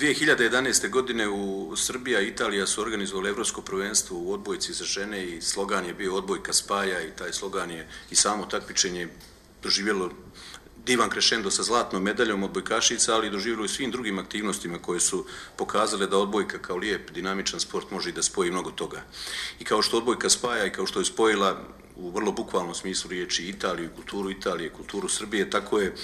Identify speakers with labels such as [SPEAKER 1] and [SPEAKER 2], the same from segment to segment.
[SPEAKER 1] 2011. godine u Srbija i Italija su organizovali Evropsko prvenstvo u odbojci za žene i slogan je bio odbojka spaja i taj slogan je i samo takmičenje doživjelo divan krešendo sa zlatnom medaljom odbojkašica, ali doživjelo i svim drugim aktivnostima koje su pokazale da odbojka kao lijep, dinamičan sport može i da spoji mnogo toga. I kao što odbojka spaja i kao što je spojila u vrlo bukvalnom smislu riječi Italiju, kulturu Italije, kulturu Srbije, tako je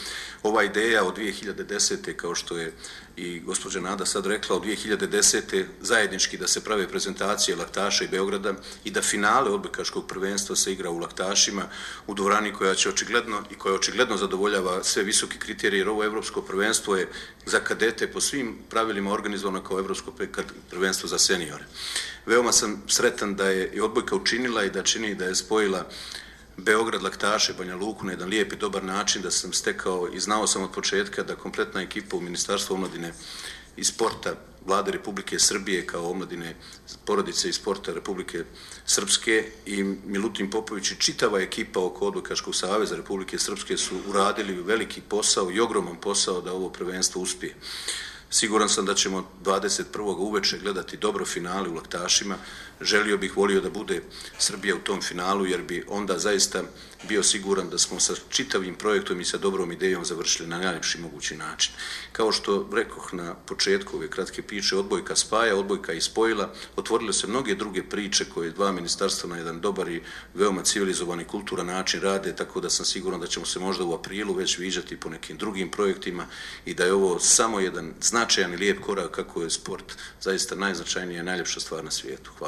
[SPEAKER 1] ova ideja od 2010. kao što je i gospođa Nada sad rekla, od 2010. zajednički da se prave prezentacije Laktaša i Beograda i da finale odbojkaškog prvenstva se igra u Laktašima u dvorani koja očigledno zadovoljava sve visoke kriterije, jer ovo evropsko prvenstvo je za kadete po svim pravilima organizovano kao evropsko prvenstvo za seniore. Veoma sam sretan da je i odbojka učinila i da čini da je spojila Beograd, Laktaše, Banja Luku na jedan lijep i dobar način, da sam stekao i znao sam od početka da kompletna ekipa u Ministarstvu omladine i sporta Vlade Republike Srbije kao omladine porodice i sporta Republike Srpske i Milutin Popović i čitava ekipa oko Odbojkaškog saveza Republike Srpske su uradili veliki posao i ogroman posao da ovo prvenstvo uspije. Siguran sam da ćemo 21. uveče gledati dobro finale u Laktašima. Volio da bude Srbija u tom finalu, jer bi onda zaista bio siguran da smo sa čitavim projektom i sa dobrom idejom završili na najljepši mogući način. Kao što rekoh na početku ove kratke priče, odbojka spaja, odbojka i spojila, otvorile se mnoge druge priče koje dva ministarstva na jedan dobar i veoma civilizovan i kulturan način rade, tako da sam siguran da ćemo se možda u aprilu već viđati po nekim drugim projektima i da je ovo samo jedan značajan i lijep korak kako je sport zaista najznačajnija i najljepša stvar na svijetu. Hvala.